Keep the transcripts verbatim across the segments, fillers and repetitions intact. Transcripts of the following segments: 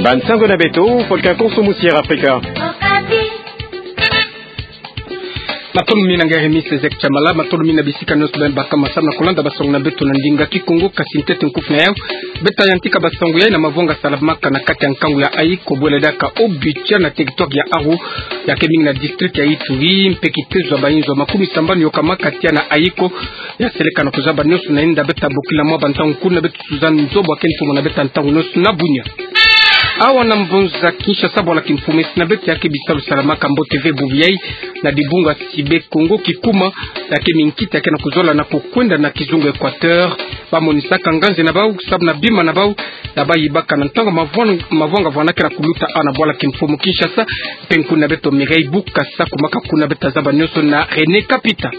Bansango na beto, Volcan Konso, Musière Afrika. Matondo mingi na ngai Remis Ezek Chamala, matondo mingi na bisika nyonso beno baka masamu na kulanda bansango na beto na ndinga Kikongo, kasi ntete nkufi na yau. Beta yantika bansango yai na mavwanga salamaka na kati ya nkangu ya Ayiko, bwela diaka Obicha na territoire ya Aru, ya ke mingi na district ya Ituri, mpe kitezo ya bainzo makumia sambanu yokamaka tia na Ayiko, ya seleka na kuzaba nyonso na inda beta bokila mwa bantangu kuna beto Suzanne Nzobo ya ke ntumwa na beta ntangu nyonso na bunia. Awa na mbonza Kinshasa, bwala kimfumu esi na beto ya ke bisalu salamaka mbote ve bubu yai na dibunga Sibe Kongo Kikuma, ya ke minkita ya ke na kuzola na kukwenda na kizunga Equateur. Bamonisaka nganzi na bau, sabu na bima na bau, ya bayibaka na ntangu mavwan-, mavwanga vwana ke na kuluta awa na bwala kimfumu Kinshasa, mpe nkuna beto Mireille Bukasa kumaka kuna, beta zaba nyonso na René Kapita.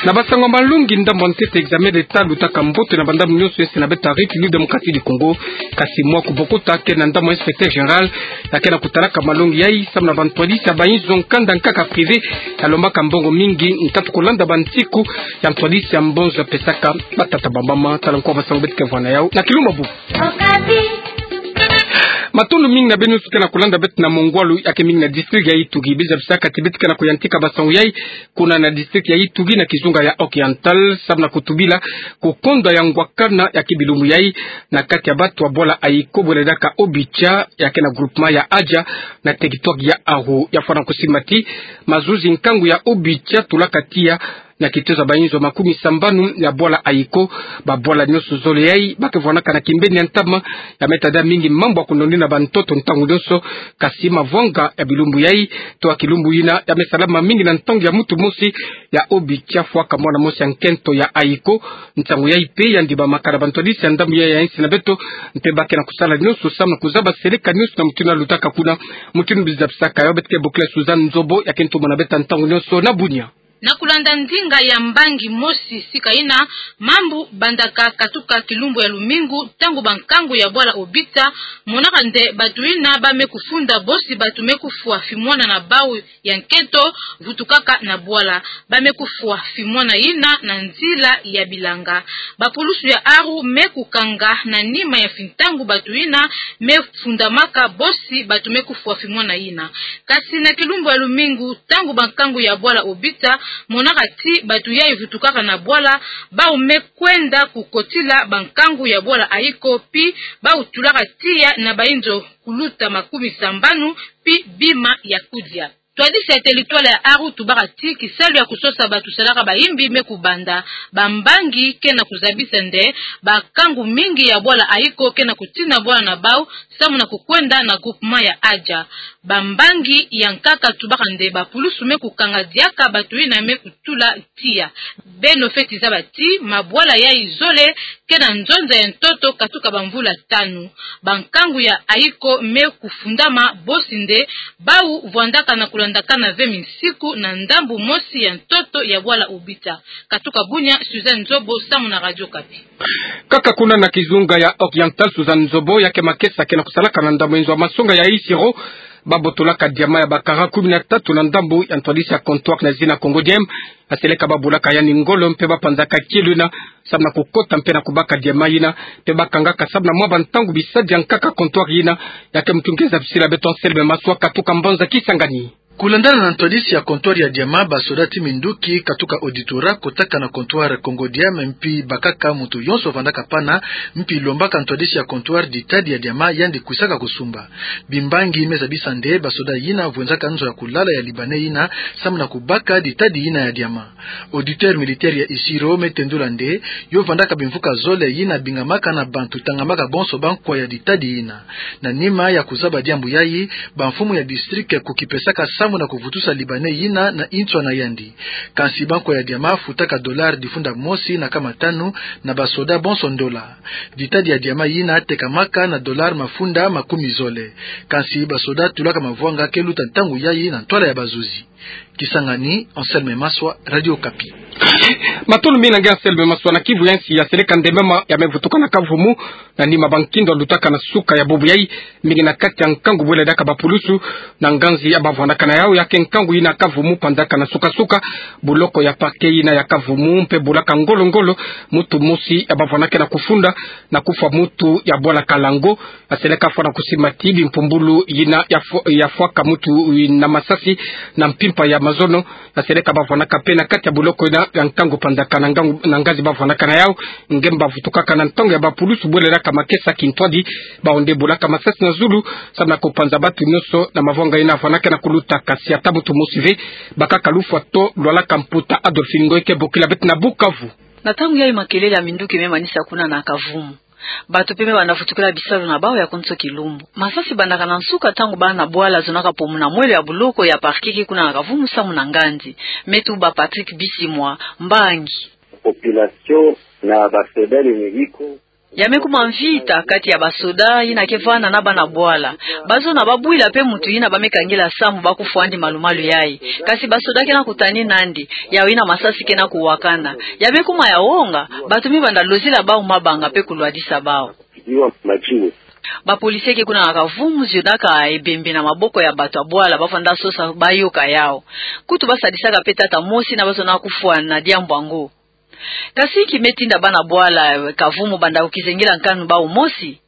Na bansango malongi, ndambu ya ntete examen d'État lutaka mbote na bandambu nyonso esi na beta République Démocratique du Congo, kasi mwa kubokota ke na ndambu ya inspecteur général ya ke na kutalaka malongi yai, samu na bantwadisi ya bainzo nkanda nkaka privé ya lombaka mbongo mingi, nkatu kulanda bantiku ya ntwadisi ya mbonzo ya pesaka batata bamama. Tala nkwa bansango beto ke vwa na yau na kilumbu ya bubu. Matondo mingi na beno nyonso ke na kulanda beto na mongwalu ya ke mingi na district ya Ituri. Biza bisaka ti beto ke na kuyantika bansango yai kuna na district ya Ituri na kizunga ya Oriental, samu na kutubila kukondwa ya ngwakana ya ke bilumbu yai na kati ya bato ya bwala Ayiko, bwela diaka Obicha ya ke na groupement ya Adja na territoire ya Aru. Ya fwana kusimba ti mazuzi nkangu ya Obicha tulaka tiya na kitezo ya bainzo makumia sambanu ya bwala Ayiko. Babwala nyonso zole yai ba ke vwanaka na kimbeni ya ntama. Ya me tada mingi mambu ya kunonina bantoto ntangu nyonso, kasi mavwanga ya bilumbu yai to ya kilumbu yina ya me salama mingi na ntangu ya mutu mosi ya Obicha, fwaka mwana mosi ya nkento ya Ayiko. Nsangu yai mpe ya ndimamaka na bantwadisi ya ndambu yai ya insi na beto, mpe ba ke na kusala nyonso samu na kuzaba seleka nyonso na mutindu ya lutaka kuna. Mutindu biza bisaka yau, beto ke bokila Suzanne Nzobo ya ke ntumwa na beta ntangu nyonso na bunia. Na kulanda ndinga ya mbangi mosi sika yina, mambu bandaka katuka kilumbu ya lumingu, ntangu bankangu ya bwala Obicha monaka nde bato yina ba me kufunda bosi bato me kufwa fimwana na bau ya nkento vutukaka na bwala. Ba me kufwa fimwana yina na nzila ya bilanga. Bapulusu ya Aru me kukanga na nima ya fintangu bato yina me fundamaka bosi bato me kufwa fimwana yina. Kasi na kilumbu ya lumingu, ntangu bankangu ya bwala Obicha monaka ti bato yai vutukaka na bwala, bau me kwenda kukotila bankangu ya bwala Ayiko, pi bau tulaka tiya na bainzo kuluta makumia sambanu, pi bima ya kudia. Ntwadisi ya territoire ya Aru tubaka ti kisalu ya kusosa bato salaka bayimbi me kubanda. Bambangi ke na kuzabisa nde bankangu mingi ya bwala Ayiko ke na kutina bwala na bau samu na kukwenda na groupement ya Adja. Bambangi ya nkaka tubaka nde bapulusu me kukanga diaka bato yina me kutula tiya. Beno feti zaba ti mabwala yai zole ke na nzonza ya ntoto katuka bamvula tanu. Bankangu ya Ayiko me kufundama bosi nde bau vwandaka na kulandakana ve minsiku na ndambu mosi ya ntoto ya bwala Obicha. Katuka bunia, Suzanne Nzobo, samu na Radio Okapi. Kaka kuna na kizunga ya Oriental, Suzanne Nzobo, ya ke makesa ke na kusalaka na ndambu ya inzo ya masonga ya Isiro, babotolaka diamant ya ba carats kumi na tatu na ndambu ya ntwadisi ya comptoir na zina Congodiam. Aseleka babulaka yandi ngolo mpe bapanzaka kielo yina samu na kukota mpe na kubaka diamant yina, mpe bakangaka samu na mwa bantangu bisadi ya nkaka comptoir yina. Ya ke mutu nge zabisila beto Anselme Maswa katuka mbanza Kisangani. Kulandana na ntwadisi ya comptoir ya diamant, basoda ti minduki katuka auditorat kotaka na comptoir Congodiam, mpi bakaka mutu yonso vandaka pana, mpi lombaka ntwadisi ya comptoir ditadi ya diamant yandi kwisaka kusumba. Bimbangi me zabisa nde basoda yina vwenzaka nzo ya kulala ya Libanais yina samu na kubaka ditadi yina ya diamant. Auditeur militaire ya Isiro me tendula nde yo vandaka bimvuka zole yina bingamaka na bantu tangamaka bonso bankwa ya ditadi yina. Na nima ya kuzaba diambu yayi, bamfumu ya district kukipesaka samu na kuvutusa Libanais yina na intswa na yandi. Kansi bankwa ya diamant futaka dollar difunda mosi na kama tanu, na basoda bonso ndola. Ditadi ya diamant yina tekamaka na dollar mafunda makumi zole. Kansi basoda tulaka mavwanga ke luta ntangu yayi na ntwala ya bazuzi. Kisangani, Anselme Maswa, Radio Okapi. Matondo mingi na nge Anselme Maswa. Na Kivu ya nsi, ya seleka ndemama ya mevutuka na kavumu, na nima ba nkindo alutaka na suka ya bubu yai, mingi na kati ya nkangu bwela diaka ba pulusu, na nganzi ya bavwandaka na yau, ya ke nkangu yina kavumu pandaka na suka-suka, buloko ya parquet yina ya kavumu mpe bulaka ngolo-ngolo, mutu mosi ya bavwandaka na kufunda, na kufwa mutu ya bwala Kalango, ya seleka fwa na kusimba ti bimpumbulu yina ya fwa-, ya fwaka mutu na masasi na mpimpa ya mazono, ya seleka bavwandaka mpe na kati ya buloko yina ya nkangu pandaka na ngangu, na nganzi bavwandaka na yau, nge mbavutukaka na ntangu ya ba pulusu bwela diaka makesa kintwadi, bawu nde bulaka masasi na zulu, samu na kupanza batu nyonso na mavwanga yina vwandaka na kuluta, kasi ata mutu mosi ve, bakaka lufwa to lwalaka mputa. Adolphine Ngoy ke bokila beto na Bukavu. Na ntangu yayi makelele ya minduki me manisa kuna na kavumu. Bato mpe me banda vutukila bisalu na bawu ya konso kilumbu. Masasi bandaka na nsuka ntangu bana bwala zonaka pomu na mwelo ya buloko ya parquet ke kuna na kavumu samu na nganzi. Me tuba Patrick Bisimwa, mbangi. Population na ba soda ni Mexico. Ya me kuma mvita kati ya ba soda yina ke vanda na bana bwala. Bazona babwila mpe mutu yina ba me kangila samu ba kufwandi malu-malu yayi. Kasi ba soda ke na kutani nandi, yawu yina masasi ke na kuwakana. Ya me kuma ya wonga, bato me banda lozila bawu mabanga mpe kulwadisa bawu. Ba policier ke kuna na kavumu zionaka ebembe na maboko ya bato ya bwala, bavanda sosa bayoka yawu. Kutu basadisaka mpe tata mosi yina bazona kufwa na diambu yango. Kasi inki me tinda bana bwala kavumu banda kukizengila nkanu bawu mosi?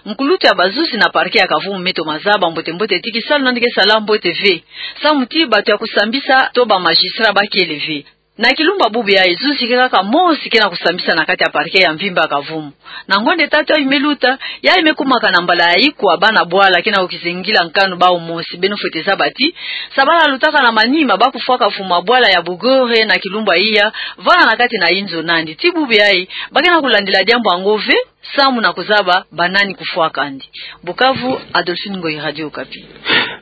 Nkulutu ya bazuzi na parquet ya kavumu me toma zaba mbote-mbote ti kisalu nandi ke sala mbote ve, samu ti bato ya kusambisa to ba magistrat bakele ve. Na kilumbu ya bubu yayi zuzi ke kaka mosi ke na kusambisa na kati ya parquet ya mvimba ya kavumu. Na ngonde tatu yayi me luta, yayi me kumaka na mbala ya ikwa bana bwala ke na kukizengila nkanu bawu mosi. Beno fwete zaba ti, sabala lutaka na manima ba kufwaka mfumu ya bwala ya Bugore na kilumbu ya iya, vanda na kati na inzo nandi. Ti bubu yayi, ba ke na kulandila diambu yango ve, samu na kuzaba banani kufwaka yandi. Bukavu, Adolphine Ngoy, Radio Okapi.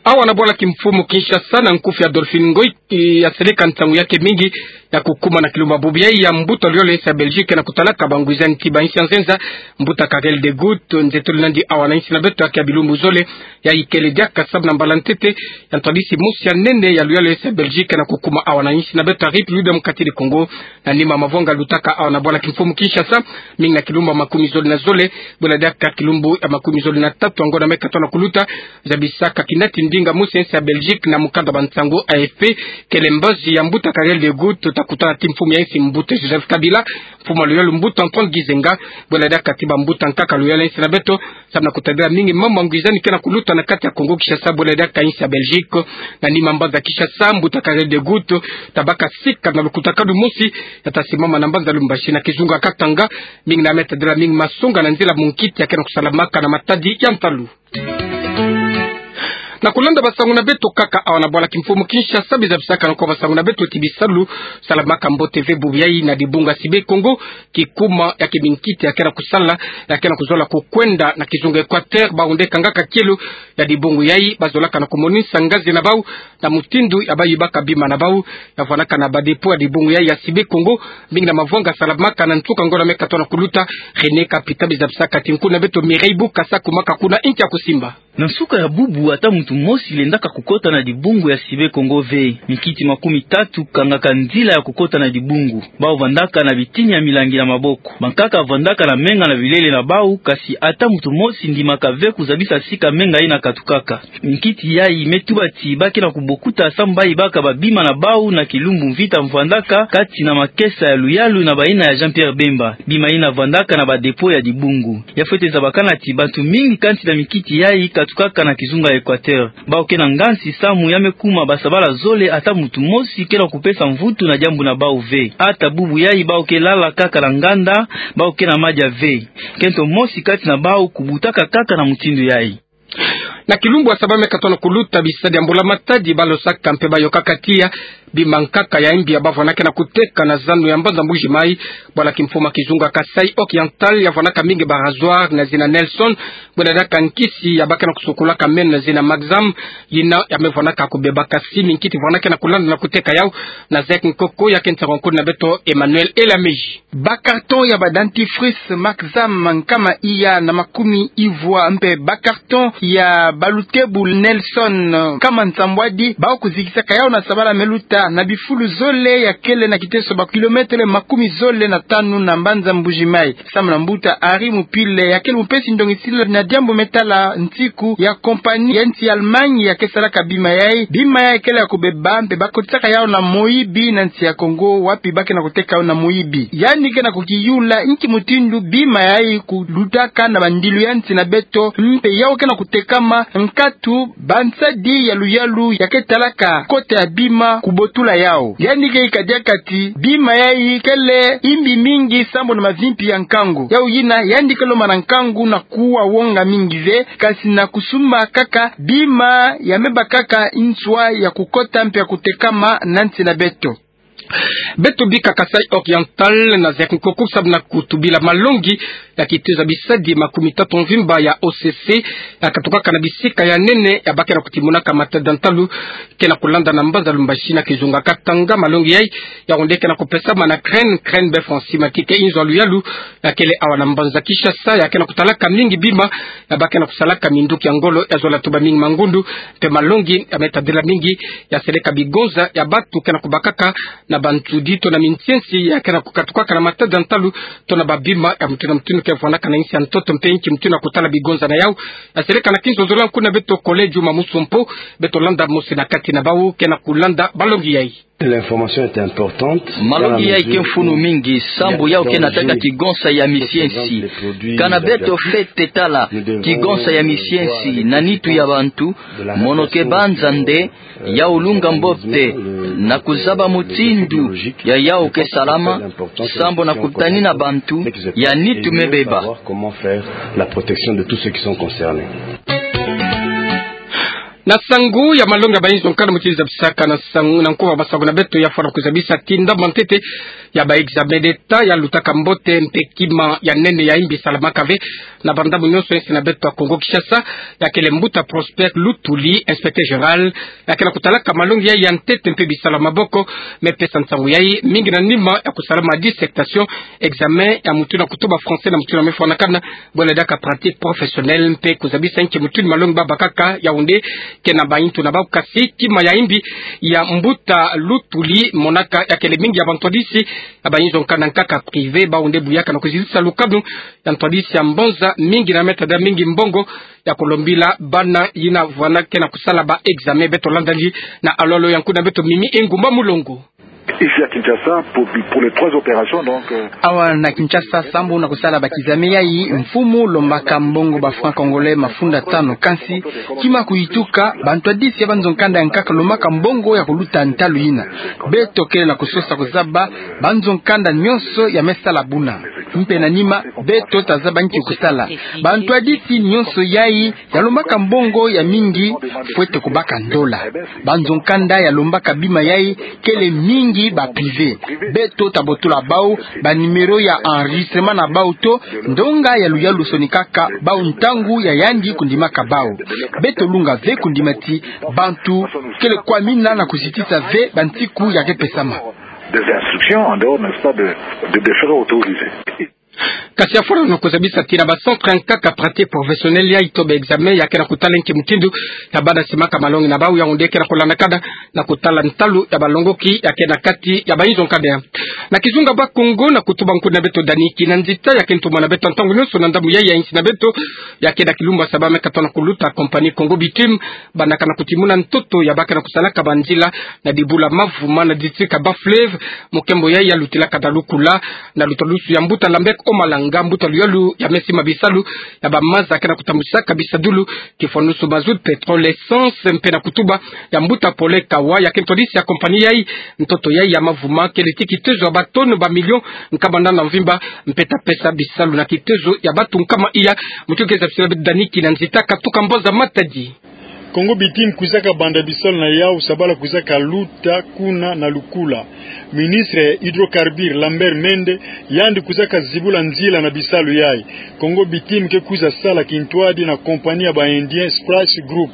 Awa na bwala kimfumu Kinshasa, na nkufi Adolphine Ngoy, ya seleka ntangu ya ke mingi ya kukuma na kilumbu ya bubu yayi ya mbuta luyolo ya insi ya Belgique na kutalaka bangwizani ti ba insi ya nzenza, mbuta Karel de Gucht, nze tolo nandi awa na insi na beto ya ke ya bilumbu zole, ya ikele diaka samu na mbala ntete ya ntwadisi mosi ya nene ya luyolo ya insi ya Belgique na kukuma awa na insi na beto ya République démocratique du Congo, na nima mavwanga lutaka awa na bwala kimfumu Kinshasa, mingi na kilumbu ya makumi zole na zole, bwela diaka kilumbu ya makumi zole na tatu ya ngonda me katwa na kuluta, zabisaka kinati ndinga mosi ya insi ya Belgique na mukanda ba nsangu A F P, kele mbazi ya mbuta Karel de Gucht, tuta kutana ti mfumu ya insi mbuta Joseph Kabila, mfumu ya luyolo mbuta Antoine Gizenga, bwela diaka ti bambuta nkaka luyolo ya insi na beto, samu na kutadila mingi mambu ya ngwizani ke na kuluta na kati ya Congo Kinshasa, bwela diaka insi ya Belgique. Na nima mbanza Kinshasa, mbuta Karel de Gucht tabaka sika na lukutakanu mosi, ya ta simama na mbanza Lubumbashi na kizunga Katanga, mingi na me tadila mingi masonga na nzila munkiti ya ke na kusalamaka na matadi ya ntalu. Na kulanda basangu na beto kaka awa na bwala kimfumu Kinshasa, biza bisaka na kwa basangu na beto ti bisalu salamaka mbote ve bubu yayi na dibungu ya Sibe Kongo, kikuma ya ke minkiti ya ke na kusala, ya ke na kuzola kukwenda na kizunga Equateur, bawu nde kangaka kielo ya dibungu yayi, bazolaka na kumonisa ngazi na bawu na mutindu ya bayibaka bima na bawu, ya vwanaka na ba dépôt ya dibungu yayi ya Sibe Kongo, mingi na mavwanga salamaka na nsuka ngonda me katwa na kuluta. René Kapita biza bisaka ti nkuna beto Mireille Bukasa kumaka kuna inti ya kusimba. Na nsuka ya bubu, ata muntu mosi lendaka kukota na dibungu ya Sibe Kongo ve. Minkiti makumi tatu kangaka nzila ya kukota na dibungu. Bawu vandaka na bitini ya milangi na maboko. Bankaka vandaka na menga na bilele na bawu, kasi ata muntu mosi ndimaka ve kuzabisa sika menga yina katukaka. Minkiti yayi me tuba ti ba ke na kubokuta samu bayibaka babima na bawu na kilumbu mvita mvwandaka kati na makesa ya luyalu na bayina ya Jean-Pierre Bemba. Bima yina vandaka na ba dépôt ya dibungu. Ya fwete zabakana ti bantu mingi kati na minkiti yayi katukaka na kizunga Equateur. Bawu ke na nganzi samu ya me kuma basabala zole, ata muntu mosi ke na kupesa mvutu na diambu na bawu ve. Ata bubu yayi bawu ke lala kaka na nganda, bawu ke na madia ve. Nkento mosi kati na bawu kubutaka kaka na mutindu yayi. Na kilumbu ya saba me katwa na kuluta, bisadi ya mbula matadi balosaka mpe bayokaka tiya bima nkaka ya imbi ya bavwanaka na kuteka na zanu ya mbanza Mbuji Mayi, bwala kimfumu ya kizunga Kasaï Oriental ya vwanaka mingi ba rasoir na zina Nelson, bwela diaka nkisi ya ba ke na kusukulaka meno na zina Maxam, yina ya me vwanaka kubebaka si minkiti vwanaka na kulanda na kuteka yawu na zeke nkoko ya ke nsangu nkulu na beto Emmanuel Elamiji. Ba carton ya ba dentifrice Maxam nkama iya na makumi ivwa mpe ba carton ya Balutebu Nelson, nkama nsambwadi, bawu kuzikisaka yawu na sabala me luta na bifulu zole ya kele na kiteso ba kilometele makumi zole na tanu na mbanza Mbuji-Mayi. Samu na mbuta Henri Mupile, ya kele mupesi ndongisila na diambu me tala nsiku ya compagnie ya nsi Allemagne ya ke salaka bima yayi. Bima yayi kele ya kubeba, mpe bakotisaka yawu na moyibi na nsi ya Congo, wapi ba ke na kuteka yawu na moyibi. Yandi ke na kukiyula nki mutindu bima yayi kulutaka na bandilu ya nsi na beto, mpe yawu ke na kutekama nkatu bansadi ya luyalu ya ke talaka kota ya bima kubotula yawu. Yandi ke yika diaka ti bima yayi kele yimbi mingi sambu na mavimpi ya nkangu. Yawu yina, yandi ke lomba na nkangu na kuwa wonga mingi ve, kasi na kusumba kaka bima ya me bakaka nswa ya kukota mpe ya kutekama na nsi na beto. Beto bika Kasaï Oriental na zek nkoku samu na kutubila malongi ya kitezo ya bisadi makumi tatu mvimba ya O C C, ya katukaka na bisika ya nene ya ba ke na kutimunaka matada ntalu, ke na kulanda na mbanza Lubumbashi na kizunga Katanga. Malongi yayi, yawu nde ke na kupesama na CREN, CREN be Francis Matike, inzo ya luyalu ya kele awa na mbanza Kinshasa, ya ke na kutalaka mingi bima ya ba ke na kusalaka minduki ya ngolo ya zola tuba mingi mangundu. Mpe malongi ya me tadila mingi ya seleka bigonza ya batu ke na kubakaka na bantsudi to na minsiensi ya ke na kukatukaka na matada ntalu to na babima ya mutindu na mutindu ke vwanaka na insi ya ntoto, mpe nki mutindu na kutala bigonza na yawu. Ya seleka na kinzonzolo ya nkuna beto Collège Mamusompo, beto landa mosi na kati na bawu ke na kulanda malongi yayi. L'information est importante. Malongi yayi ke mfunu mingi sambu yawu ke na tâka kigonza ya misiensi. Kana beto fwete tala kigonza ya misiensi na nitu ya bantu, mono ke banza nde yawu lunga mbote na kuzaba mutindu ya yawu ke salama, sambu na kutanina bantu ya nitu me beba. Comment faire la protection de tous ceux qui sont concernés. Na sangu ya malongi ya bayinzo nkanda mutindu zabisaka na sangu na nkuba masangu na beto, ya fwana kuzabisa ti ndambu ya ntete ya ba examen d'État ya lutaka mbote, mpe kima ya nene ya yimbi salamaka ve na bandambu nyonso ya insi na beto ya Congo Kinshasa, ya kele mbuta Prosper Lutuli, inspecteur général, ya ke na kutalaka malongi yayi ya ntete mpe bisalu ya maboko. Me pesa nsangu yayi mingi na nima ya kusalama dissertation, examen ya mutindu na kutuba français na mutindu ya me fwanakana, bole diaka pratique professionnelle, mpe kuzabisa nki mutindu malongi ba bakaka. Yawu nde ke na bayintu na bawu, kasi kima ya yimbi ya mbuta Lutuli monaka ya kele mingi ya bantwadisi ya bayinzo nkanda nkaka privé, bawu nde buyaka na kuzitisa lukanu ya ntwadisi ya mbonza mingi na me tadila mingi mbongo ya kulombila bana yina vwana ke na kusala ba examen. Beto landa ndi na alolo ya nkuna beto Mimi Engumba Mulongo. Ici à Kinshasa, pour, pour les trois opérations, donc, euh, awa na Kinshasa, sambu na kusala ba kizame yayi, mfumu lombaka mbongo ba francs congolais mafunda tanu. Kansi, kima kuyituka, bantwadisi ya banzo nkanda ya nkaka lombaka mbongo ya kuluta ntalu yina. Beto kele na kusosa kuzaba banzo nkanda nyonso ya me sala buna. Mpe na nima, beto tazaba nki kusala. Bantwadisi nyonso yayi ya lombaka mbongo ya mingi, fwete kubaka ndola. Banzo nkanda ya lombaka bima yayi kele mingi ba privé. Beto tabotola bawu ba numéro ya enregistrement na bawu to ndonga ya luyalu sonikaka bawu ntangu ya yandi kundimaka bawu. Beto lunga ve kundima ti bantu kele kwamina na kuzitisa ve bansiku ya ke pesama. Des instructions en dehors, n'est-ce pas, de, de, des frais autorisés. Kasi ya fwana na kuzabisa ti na ba centre nkaka pratique professionnelle yayi to ba examen ya ke na kutala nki mutindu ya bana simaka malongi na bawu, yawu nde ke na kulandakana na kutala ntalu ya balongoki ya ke na kati ya bayinzo nkanda. Na kizunga Bas-Congo, na kutuba nkuna beto Dany Kinanzita, ya ke ntumwa na beto ntangu nyonso na ndambu yayi ya insi na beto, ya ke na kilumbu ya saba me katono kuluta compagnie Congo Bitume, bandaka na kutimuna ntoto ya ba ke na kusalaka banzila na dibula Mavuma na district ya Bas-Fleuve, mokembo yayi ya lutilaka na lukula na lutalusu ya mbuta Lambert Omalanga, mbuta luyalu ya me sima bisalu ya bamaza ke na kutambusaka bisadulu, kifwanusu mazout, pétrole, essence, mpe na kutuba ya mbuta Paulin Kawa, ya ke ntwadisi ya compagnie yayi. Ntoto yayi ya Mavuma kele ti kitezo ya ba tonnes ba millions nkama nana mvimba, mpe ta pesa bisalu na kitezo ya batu nkama iya. Mutindu ke zabisila beto Dany Kinanzita, katuka mbonza Matadi. Congo Bitim kwizaka banda bisalu na yawu, sabala kwizaka luta kuna na lukula. Ministre ya Hydrocarbures Lambert Mende, yandi kwizaka zibula nzila na bisalu yayi. Congo Bitim ke kwiza sala kintwadi na compagnie ya ba Indien Splash Group.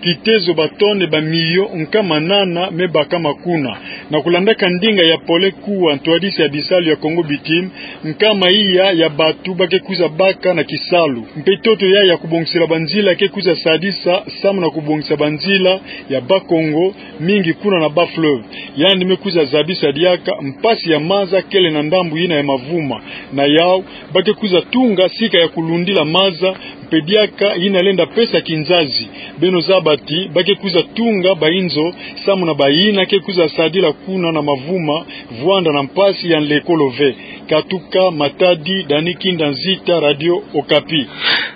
Kitezo ba tonne ba miliyo nkama nana me bakama kuna. Na kulandaka ndinga ya pole kuwa ntwadisi ya bisalu ya Congo Bitim, nkama iya ya bantu ba ke kwiza baka na kisalu. Mpe ntoto yayi ya kubongisela banzila ke kwiza sadisa samu na kubongisa banzila ya Bas-Congo, mingi kuna na Bas-Fleuve. Yandi me kwiza zabisa diaka mpasi ya maza kele na ndambu yina ya Mavuma. Na yawu, ba ke kwiza tunga sika ya kulundila maza, mpe diaka yina lenda pesa kinzazi. Beno zaba ti ba ke kwiza tunga ba inzo samu na bayina ke kwiza sadila kuna na Mavuma, vwanda na mpasi ya nlekolo ve. Katuka Matadi, Dani Kinda Nzita, Radio Okapi.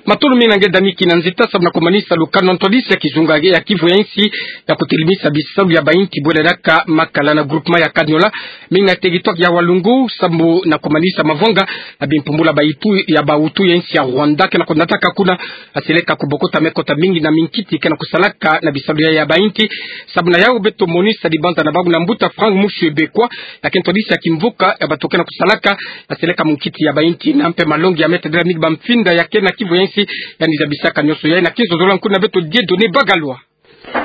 Matondo mingi na nge Dani Kinda Nzita, samu na kumanisa lukanu na ntwadisi ya kizunga ya Kivu ya Insi ya kutelimisa bisalu ya bayinti bwela diaka makala na groupement ya Kaniola, mingi na territoire ya Walungu, samu na kumanisa mavanga na bimpumbula ba Hutu ya ba Hutu ya insi ya Rwanda ke na kunataka kuna, aseleka kubokota mekota mingi na minkiti ke na kusalaka na bisalu ya, ya bayinti. Samu na yawu beto monisa dibanza na bawu na mbuta Franck Mushwebekwa, ya ke ntwadisi ya kimvuka ya bantu ke na kusalaka, aseleka munkiti ya bayinti, na mpe malongi ya Me Tadela Migba Mfinda ya ke na Kivu ya Insi, yandi zabisaka nionso yayi na kinzo zola. Kuna beto Dieudonné Bagalwa.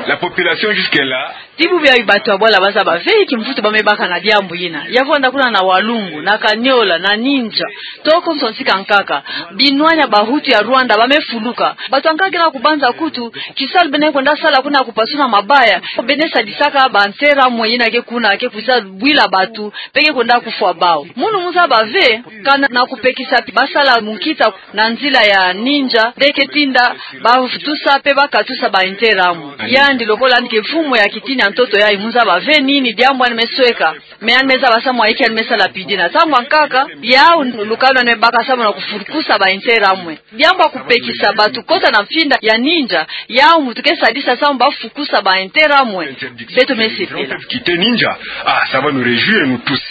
La population jusque-là. Ti bubu yayi bantu ya bwala ba zaba ve kimvutu ba me baka na diambu yina. Ya vwanda kuna na Walungu, na Kaniola, na Ninja. Toko nso nsi ka nkaka. Binwani ya ba Hutu ya Rwanda ba me fuluka. Bantu ya nkaka ke na kubanza kutu, kisalu bene kwenda sala kuna kupasuna mabaya. Bene sadisaka ba nteramwe yina ke kuna, ke kwiza bwila bantu, mpe ke kwenda kufwa bawu. Munu mu zaba ve, kana na kupekisa ba sala munkita na nzila ya Ninja, nde ke tinda ba futusa mpe ba katusa ba nteramwe. Yandi lokola yandi ke mfumu ya kitini ya ntoto yayi, mu zaba ve nini diambu yandi me sweka. Mais yandi me zaba samu ayiki yandi me sala pidi na ntangu ya nkaka, yawu lukanu yandi me baka samu na kufukusa ba nteramwe. Diambu ya kupekisa bantu kota na mfinda ya Ninja, yawu muntu ke sadisa samu ba fukusa ba nteramwe. Beto me sepela. Quitter Ninja. Ah, ça va nous réjouir, nous tous.